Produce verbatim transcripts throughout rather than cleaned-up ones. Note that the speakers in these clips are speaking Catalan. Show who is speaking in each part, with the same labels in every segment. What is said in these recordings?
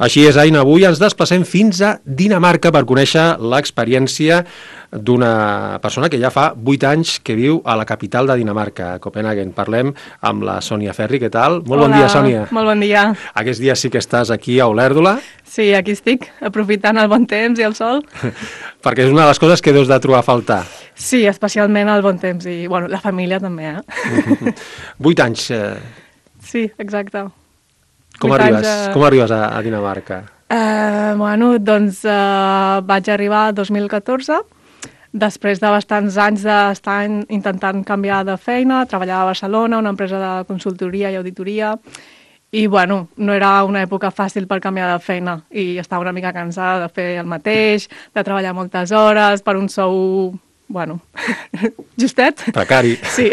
Speaker 1: Així és, Aina, avui ens desplacem fins a Dinamarca per conèixer l'experiència d'una persona que ja fa vuit anys que viu a la capital de Dinamarca, a Copenhagen. Parlem amb la Sònia Ferri, què tal? Molt
Speaker 2: Hola,
Speaker 1: bon dia, Sònia.
Speaker 2: Molt bon dia.
Speaker 1: Aquests dies sí que estàs aquí a Olèrdola.
Speaker 2: Sí, aquí estic, aprofitant el bon temps i el sol.
Speaker 1: Perquè és una de les coses que deus de trobar a faltar.
Speaker 2: Sí, especialment el bon temps i, bueno, la família també, eh?
Speaker 1: Vuit anys. Eh...
Speaker 2: Sí, exacte.
Speaker 1: Com arribes, a... com arribes a, a Dinamarca?
Speaker 2: Uh, bueno, doncs uh, vaig arribar el dos mil catorze, després de bastants anys d'estar intentant canviar de feina, treballar a Barcelona, una empresa de consultoria i auditoria, i bueno, no era una època fàcil per canviar de feina, i estava una mica cansada de fer el mateix, de treballar moltes hores per un sou... bueno, justet.
Speaker 1: Precari.
Speaker 2: Sí.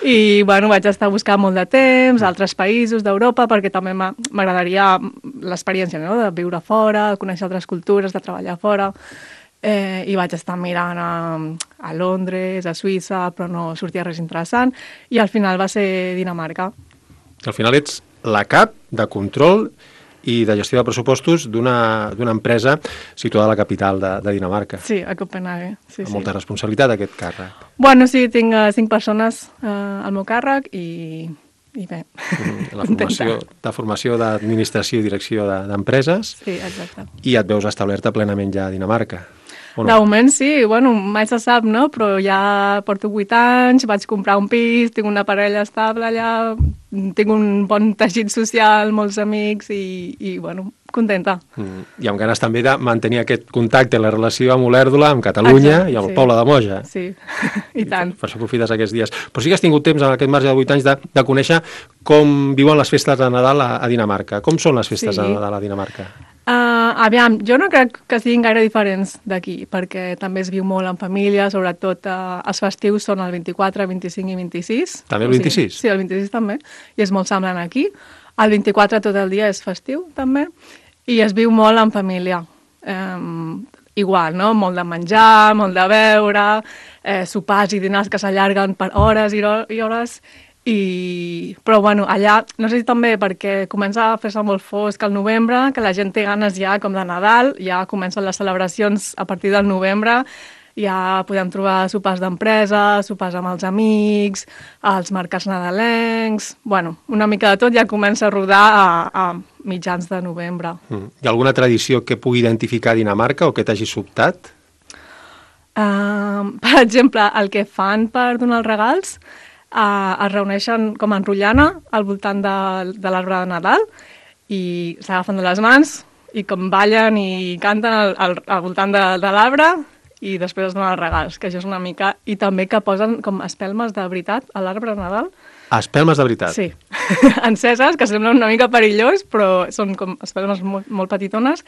Speaker 2: I, bueno, vaig estar buscant molt de temps, a altres països d'Europa, perquè també m'agradaria l'experiència, no?, de viure fora, de conèixer altres cultures, de treballar fora. Eh, I vaig estar mirant a, a Londres, a Suïssa, però no sortia res interessant. I al final va ser Dinamarca.
Speaker 1: Al final ets la cap de control i de gestió de pressupostos d'una empresa situada a la capital de, de Dinamarca.
Speaker 2: Sí, a Copenhague. Sí,
Speaker 1: amb molta
Speaker 2: sí.
Speaker 1: responsabilitat, aquest càrrec.
Speaker 2: Bueno, sí, tinc uh, cinc persones uh, al meu càrrec i, i bé.
Speaker 1: Mm, la formació, de formació d'administració i direcció d'empreses.
Speaker 2: Sí, exacte.
Speaker 1: I et veus establerta plenament ja a Dinamarca.
Speaker 2: No? De moment sí, bueno, mai se sap, no? Però ja porto vuit anys, vaig comprar un pis, tinc una parella estable allà, tinc un bon teixit social, molts amics i, i bueno, contenta.
Speaker 1: Mm. I amb ganes també de mantenir aquest contacte, la relació amb Olèrdola, amb Catalunya Exacte, i amb el sí. poble de Moja.
Speaker 2: Sí, i tant.
Speaker 1: I per això aprofites aquests dies. Però sí que has tingut temps en aquest marge de vuit anys de, de conèixer com viuen les festes de Nadal a, a Dinamarca. Com són les festes sí. de Nadal a Dinamarca?
Speaker 2: Uh, aviam, jo no crec que siguin gaire diferents d'aquí, perquè també es viu molt en família, sobretot uh, els festius són el vint-i-quatre, vint-i-cinc i vint-i-sis.
Speaker 1: També el vint-i-sis?
Speaker 2: O sigui, sí, el vint-i-sis també, i és molt semblant aquí. El vint-i-quatre tot el dia és festiu, també, i es viu molt en família. Um, igual, no? Molt de menjar, molt de beure, eh, sopars i dinars que s'allarguen per hores i, i hores. I... però bueno, allà, no sé si també perquè comença a fer-se molt fosc al novembre, que la gent té ganes ja com de Nadal, ja comencen les celebracions a partir del novembre, ja podem trobar sopars d'empresa, sopars amb els amics, els mercats nadalencs... bueno, una mica de tot ja comença a rodar a, a mitjans de novembre.
Speaker 1: Mm. Hi ha alguna tradició que pugui identificar Dinamarca o que t'hagi sobtat?
Speaker 2: Uh, per exemple, el que fan per donar els regals, Uh, es reuneixen com en rotllana al voltant de, de l'arbre de Nadal i s'agafen de les mans i com ballen i canten al, al, al voltant de, de l'arbre i després es donen els regals, que això és una mica... I també que posen com espelmes de veritat a l'arbre de Nadal.
Speaker 1: Espelmes de veritat?
Speaker 2: Sí, enceses, que semblen una mica perillós, però són com espelmes molt, molt petitones.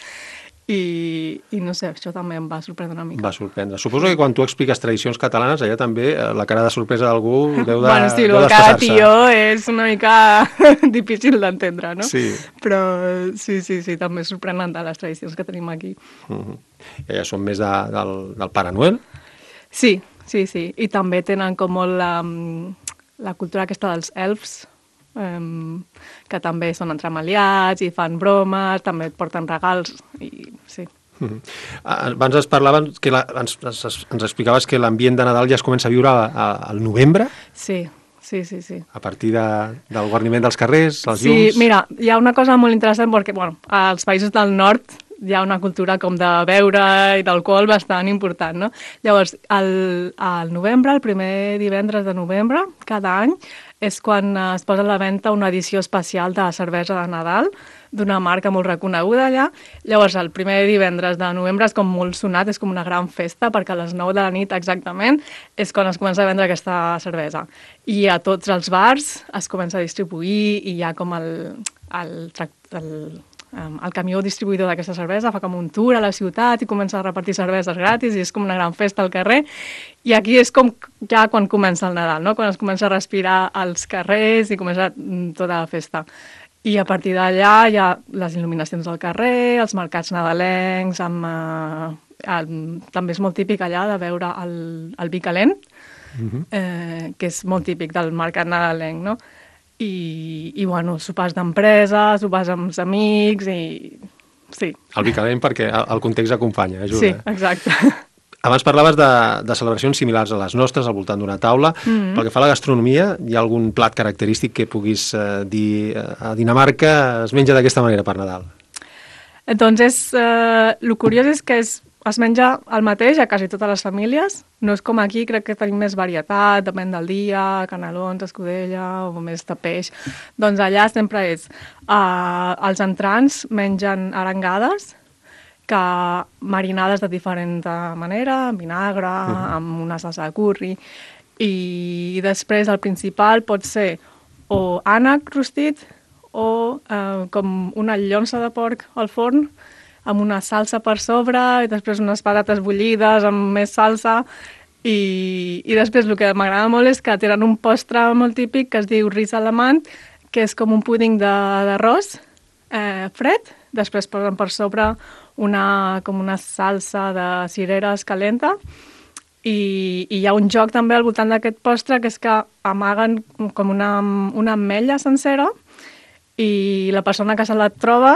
Speaker 2: I, i no sé, això també em va sorprendre una mica.
Speaker 1: Va sorprendre. Suposo que quan tu expliques tradicions catalanes, allà també la cara de sorpresa d'algú deu de
Speaker 2: bueno, sí,
Speaker 1: el
Speaker 2: cada tió és una mica difícil d'entendre, no?
Speaker 1: Sí.
Speaker 2: Però sí, sí, sí, també és sorprenent de les tradicions que tenim aquí.
Speaker 1: Uh-huh. I ja són més de, del, del Pare Noel?
Speaker 2: Sí, sí, sí. I també tenen com molt la, la cultura aquesta dels elfs, Um, que també són entremaliats i fan bromes, també et porten regals i sí.
Speaker 1: Mm-hmm. Abans es parlaven que la, ens, ens, ens explicaves que l'ambient de Nadal ja es comença a viure a, a, al novembre?
Speaker 2: Sí, sí, sí, sí.
Speaker 1: A partir de, del guarniment dels carrers, els
Speaker 2: sí,
Speaker 1: llums...
Speaker 2: Sí, mira, hi ha una cosa molt interessant perquè, bueno, als països del nord hi ha una cultura com de beure i d'alcohol bastant important, no? Llavors, al, al novembre, el primer divendres de novembre, cada any, és quan es posa a la venda una edició especial de cervesa de Nadal d'una marca molt reconeguda allà. Llavors, el primer divendres de novembre és com molt sonat, és com una gran festa, perquè a les nou de la nit exactament és quan es comença a vendre aquesta cervesa. I a tots els bars es comença a distribuir i hi ha com el, el, el, el camió distribuïdor d'aquesta cervesa fa com un tour a la ciutat i comença a repartir cerveses gratis i és com una gran festa al carrer. I aquí és com ja quan comença el Nadal, no? Quan es comença a respirar als carrers i comença tota la festa. I a partir d'allà hi ha les il·luminacions del carrer, els mercats nadalencs, amb, eh, el, també és molt típic allà de veure el, el vi calent, uh-huh. eh, que és molt típic del mercat nadalenc, no? i, i bueno, sopars d'empresa, sopars amb els amics i... Sí.
Speaker 1: El vi calent perquè el context acompanya, ajuda.
Speaker 2: Sí, exacte.
Speaker 1: Abans parlaves de, de celebracions similars a les nostres, al voltant d'una taula. Mm-hmm. Pel que fa a la gastronomia, hi ha algun plat característic que puguis eh, dir a Dinamarca es menja d'aquesta manera per Nadal?
Speaker 2: Doncs és... Eh, el curiós és que és, es menja el mateix a quasi totes les famílies. No és com aquí, crec que tenim més varietat, depèn del dia, canelons, escudella o més de peix. Doncs allà sempre és... Eh, els entrants mengen arengades, que marinades de diferent manera, amb vinagre, uh-huh. amb una salsa de curri, i després el principal pot ser o ànec rostit o eh, com una llonça de porc al forn, amb una salsa per sobre, i després unes patates bullides amb més salsa, i, i després el que m'agrada molt és que tenen un postre molt típic que es diu ris alemany, que és com un púding d'arròs eh, fred, després posen per sobre una, com una salsa de cireres calenta i, i hi ha un joc també al voltant d'aquest postre que és que amaguen com una, una ametlla sencera i la persona que se la troba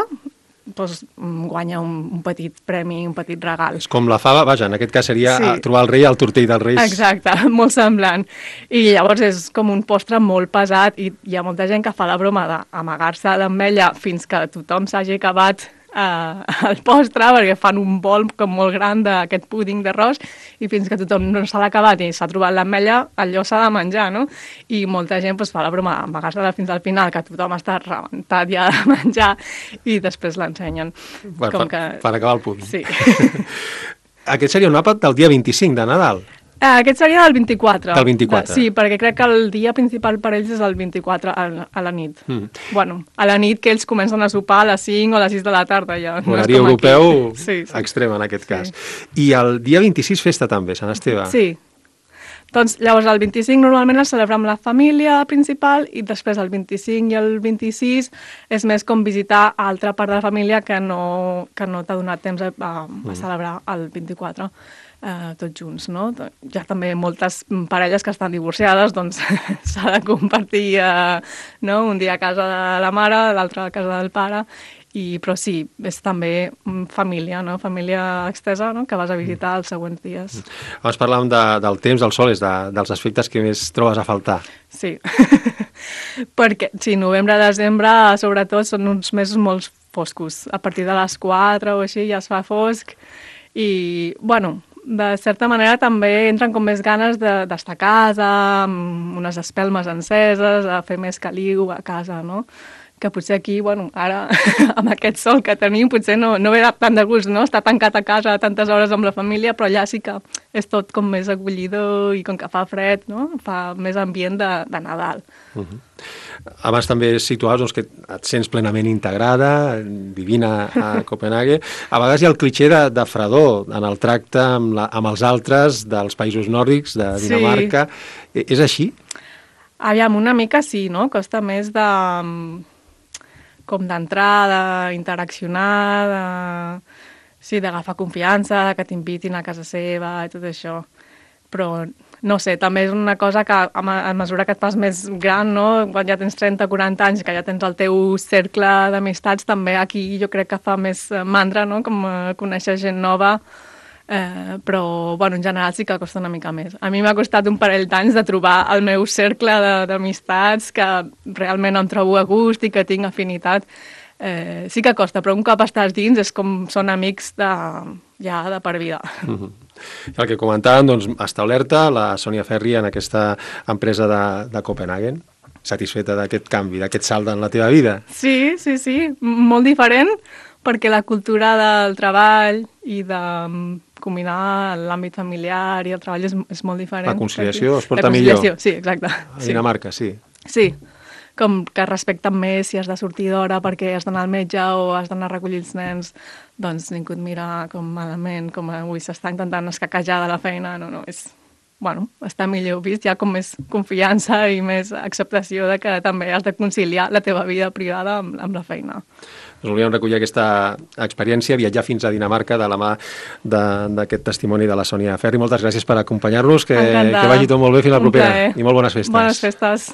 Speaker 2: doncs, guanya un, un petit premi, un petit regal.
Speaker 1: És com la fava, vaja, en aquest cas seria sí. trobar el rei al tortell dels reis.
Speaker 2: Exacte, molt semblant. I llavors és com un postre molt pesat i hi ha molta gent que fa la broma d'amagar-se l'ametlla fins que tothom s'hagi acabat Uh, el postre, perquè fan un bol com molt gran d'aquest púding d'arròs i fins que tothom no se l'ha acabat i s'ha trobat l'ametlla, allò s'ha de menjar, no? I molta gent pues, fa la broma d'amagar-se-la fins al final, que tothom està rebentat ja de menjar i després l'ensenyen.
Speaker 1: Bueno,
Speaker 2: com
Speaker 1: per,
Speaker 2: que...
Speaker 1: per acabar el púding.
Speaker 2: Sí.
Speaker 1: Aquest seria un àpat del dia vint-i-cinc de Nadal.
Speaker 2: Uh, aquest seria del vint-i-quatre.
Speaker 1: Del vint-i-quatre.
Speaker 2: De, sí, perquè crec que el dia principal per ells és el vint-i-quatre a, a la nit. Mm. Bueno, a la nit que ells comencen a sopar a les cinc o a les sis de la tarda. Ja.
Speaker 1: Horari no europeu
Speaker 2: sí, sí.
Speaker 1: extrem en aquest
Speaker 2: sí.
Speaker 1: cas. I el dia vint-i-sis festa també, Sant Esteve.
Speaker 2: Sí. Doncs llavors el vint-i-cinc normalment el celebra amb la família principal i després el vint-i-cinc i el vint-i-sis és més com visitar altra part de la família que no, que no t'ha donat temps a, a, a celebrar el vint-i-quatre. Uh, tots junts, no? Hi ha també moltes parelles que estan divorciades, doncs s'ha de compartir uh, no? un dia a casa de la mare, l'altre a casa del pare, i, però sí, és també família, no? Família extesa, no? Que vas a visitar els següents dies.
Speaker 1: Abans parlàvem de, del temps, del sol, és de, dels aspectes que més trobes a faltar.
Speaker 2: Sí, perquè sí, novembre, desembre, sobretot, són uns mesos molt foscos. A partir de les quatre o així ja es fa fosc i, bueno, de certa manera també entren com més ganes d'estar a casa, amb unes espelmes enceses, a fer més caliu a casa, no? Que potser aquí, bueno, ara, amb aquest sol que tenim, potser no, no ve tant de gust, no? Estar tancat a casa tantes hores amb la família, però allà sí que és tot com més acollidor i com que fa fred, no? Fa més ambient de, de Nadal. Uh-huh.
Speaker 1: Abans també situaves doncs, que et sents plenament integrada, vivint a Copenhague. A vegades hi ha el clitxé de, de fredor en el tracte amb, la, amb els altres dels països nòrdics, de Dinamarca. Sí. És així?
Speaker 2: Aviam, una mica sí, no? Costa més de... com d'entrar, d'interaccionar, de... sí, d'agafar confiança, que t'invitin a casa seva i tot això. Però, no sé, també és una cosa que a mesura que et fas més gran, no? Quan ja tens trenta o quaranta anys, que ja tens el teu cercle d'amistats, també aquí jo crec que fa més mandra, no? Com conèixer gent nova, eh, però, bueno, en general sí que costa una mica més. A mi m'ha costat un parell d'anys de trobar el meu cercle d'amistats que realment em trobo a gust i que tinc afinitat. Eh, sí que costa, però un cop estàs dins és com són amics de, ja de per vida.
Speaker 1: Mm-hmm. El que comentàvem, doncs, establerta la Sònia Ferri en aquesta empresa de, de Copenhagen. Satisfeta d'aquest canvi, d'aquest salt en la teva vida?
Speaker 2: Sí, sí, sí, molt diferent, perquè la cultura del treball i de combinar l'àmbit familiar i el treball és, és molt diferent.
Speaker 1: La conciliació es porta millor.
Speaker 2: Sí, exacte.
Speaker 1: A Dinamarca, sí.
Speaker 2: Sí, com que respecten més si has de sortir d'hora perquè has d'anar al metge o has d'anar a recollir els nens, doncs ningú et mira com malament, com avui s'està intentant escaquejar de la feina, no, no, és... Bueno, està millor vist, hi ha com més confiança i més acceptació de que també has de conciliar la teva vida privada amb, amb la feina.
Speaker 1: Doncs volíem recollir aquesta experiència, viatjar fins a Dinamarca de la mà d'aquest testimoni de la Sònia Ferri. Moltes gràcies per acompanyar-nos, que, que vagi tot molt bé, fins la propera. I molt bones festes.
Speaker 2: Bones festes.